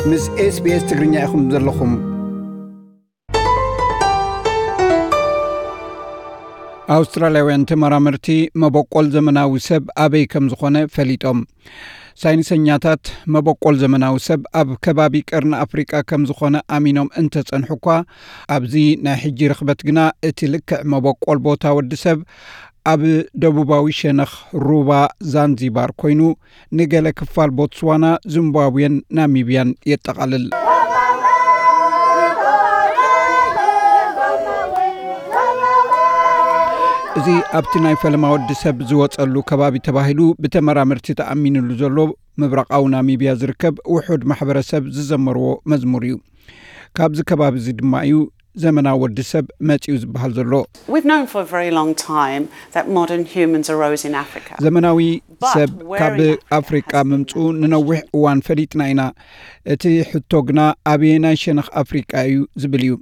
ምስ SBS ትግርኛ ኢኹም ዘለኹም። ኣውስትራልያውያን ተመራመርቲ መበቆል ዘመናዊ ሰብ ኣበይ ከም ዝኾነ ፈሊጦም። ሳይንሰኛታት መበቆል ዘመናዊ ሰብ ኣብ ከባቢ ቀርኒ ኣፍሪቃ ከም ዝኾነ ኣሚኖም እንተጸንሑ እኳ፣ ኣብዚ ናይ ሕጂ ርኽበት ግና እቲ ልክዕ መበቆል ቦታ ወዲ ሰብ ኣብ ደቡባዊ ሸነኽ ሩባ ዛንዚባር ኮይኑ፣ ንገለ ክፋል ቦትስዋና፣ ዚምባብዌን ናሚብያን የጠቓልል። እዚ ኣብቲ ናይ ፈለማ ወዲ ሰብ ዝወጸሉ ከባቢ ተባሂሉ ብተመራመርቲ ተኣሚንሉ ዘሎ ምብራቓዊ ናሚብያ ዝርከብ ውሑድ ማሕበረሰብ ዝዘመርዎ መዝሙር እዩ። ካብዚ ከባቢ እዚ ድማ እዩ ዘመናዊ ወዲ ሰብ መጺኡ ዝበሃል ዘሎ። We've known for a very long time that modern humans arose in Africa. ዘመናዊ ሰብ ካብ ኣፍሪቃ ምምጽኡ ንነዊሕ እዋን ፈሊጥና ኢና። እቲ ሕቶ ግና ኣበየናይ ሸነኽ ኣፍሪቃ እዩ ዝብል እዩ።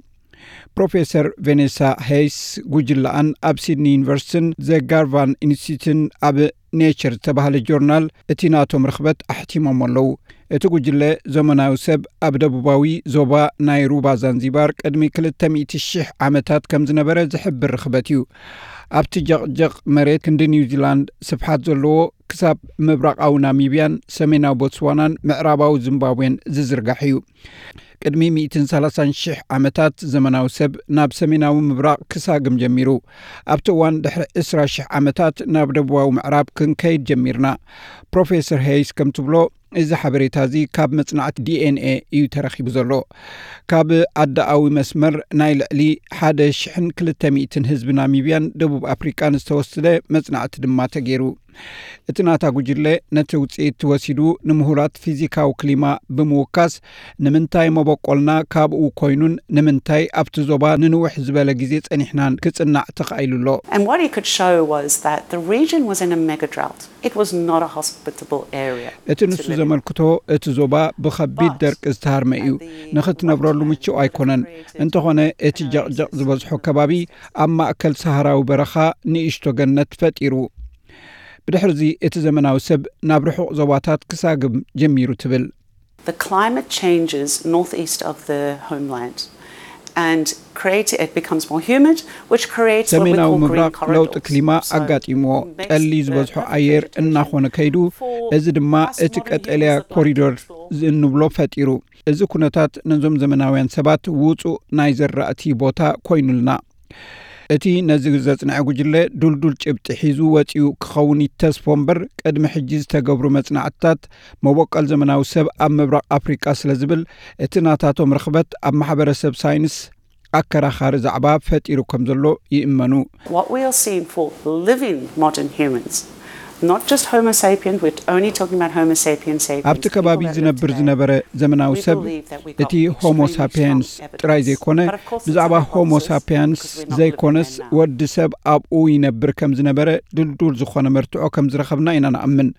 ፕሮፌሰር ቬኔሳ ሄይስ ጉጅለኣን ኣብ ሲድኒ ዩኒቨርሲቲን ዘ ጋርቫን ኢንስቲትዩትን ኣብ ኔቸር ዝተባህለ ጆርናል እቲ ናቶም ርኽበት ኣሕቲሞም ኣለዉ። እቲ ጉጅለ ዘመናዊ ሰብ ኣብ ደቡባዊ ዞባ ናይ ሩባ ዛንዚባር ቅድሚ ክልተ ሚእቲ ሺሕ ዓመታት ከም ዝነበረ ዝሕብር ርኽበት እዩ። ኣብቲ ጀቕጀቕ መሬት ክንዲ ኒውዚላንድ ስፍሓት ዘለዎ ክሳብ ምብራቓዊ ናሚብያን ሰሜናዊ ቦትስዋናን ምዕራባዊ ዚምባብዌን ዝዝርጋሕ እዩ። ቅድሚ ሚእትን ሰላሳን ሺሕ ዓመታት ዘመናዊ ሰብ ናብ ሰሜናዊ ምብራቕ ክሳግም ጀሚሩ። ኣብቲ እዋን ድሕሪ ዕስራ ሺሕ ዓመታት ናብ ደቡባዊ ምዕራብ ክንከይድ ጀሚርና። ፕሮፌሰር ሄይስ ከም ትብሎ፣ እዚ ሓበሬታ እዚ ካብ መጽናዕቲ ዲ ኤን ኤ እዩ ተረኺቡ ዘሎ። ካብ ኣዳኣዊ መስመር ናይ ልዕሊ ሓደ ሽሕን ክልተ ሚእትን ህዝቢ ናሚብያን ደቡብ ኣፍሪቃን ዝተወስደ መጽናዕቲ ድማ ተገይሩ። እቲ ናታ ጉጅለ ነቲ ውጽኢት ወሲዱ ንምሁራት ፊዚካዊ ክሊማ ብምውካስ፣ ንምንታይ መበቆልና ካብኡ ኮይኑን ንምንታይ ኣብቲ ዞባ ንንውሕ ዝበለ ግዜ ጸኒሕናን ክጽናዕ ተኻኢሉ ኣሎ። And what he could show was that the region was in a mega drought. It was not a hospitable area. እቲ ንሱ ዘመልክቶ፣ እቲ ዞባ ብኸቢድ ደርቂ ዝተሃርመ እዩ። ንኽትነብረሉ ምቹእ ኣይኮነን። እንተኾነ፣ እቲ ጀቕጀቕ ዝበዝሖ ከባቢ ኣብ ማእከል ሰሃራዊ በረኻ ንእሽቶ ገነት ፈጢሩ። ብድሕርዚ እቲ ዘመናዊ ሰብ ናብ ርሑቕ ዞባታት ክሳግም ጀሚሩ ትብል። The climate changes northeast of the homeland and create, it becomes more humid, which creates what we ሰሜናዊ call green ምብራቕ ለውጢ corridors. ክሊማ So ኣጋጢምዎ፣ makes ጠሊ the ዝበዝሖ perfect ኣየር vegetation እናኾነ ከይዱ፣ for እዚ ድማ us እቲ modern ቀጠልያ humans that like to ኮሪዶር explore. እንብሎ ፈጢሩ። እዚ ኩነታት ነዞም ዘመናውያን ሰባት ውጹእ ናይ ዘራእቲ ቦታ ኮይኑልና። እቲ ነዚ ዘጽንዐ ጉጅለ ዱልዱል ጭብጢ ሒዙ ወጺኡ ክኸውን ይተስፎ እምበር፣ ቅድሚ ሕጂ ዝተገብሩ መጽናዕትታት መበቆል ዘመናዊ ሰብ ኣብ ምብራቕ ኣፍሪቃ ስለ ዝብል፣ እቲ ናታቶም ርኽበት ኣብ ማሕበረሰብ ሳይንስ ኣከራኻሪ ዛዕባ ፈጢሩ ከም ዘሎ ይእመኑ። What we are seeing for living modern humans, not just Homo sapiens, we're only talking about Homo sapiens sapiens. ኣብቲ ከባቢ ዝነብር ዝነበረ ዘመናዊ ሰብ፣ እቲ ሆሞ ሳፒያንስ ጥራይ ዘይኮነ፣ ብዛዕባ ሆሞ ሳፒያንስ ዘይኮነስ፣ ወዲ ሰብ ኣብኡ ይነብር ከም ዝነበረ ድልዱል ዝኾነ መርትዖ ከም ዝረኸብና ኢና ንኣምን።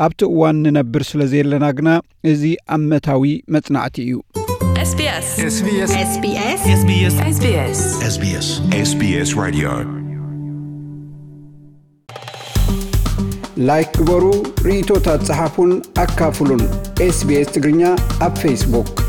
ኣብቲ እዋን ንነብር ስለ ዘየለና ግና፣ እዚ ኣመታዊ መጽናዕቲ እዩ። SBS SBS SBS SBS SBS SBS SBS Radio ላይክ ግበሩ፣ ርእይቶታት ጸሓፉን ኣካፍሉን። SBS ትግርኛ ኣብ ፌስቡክ።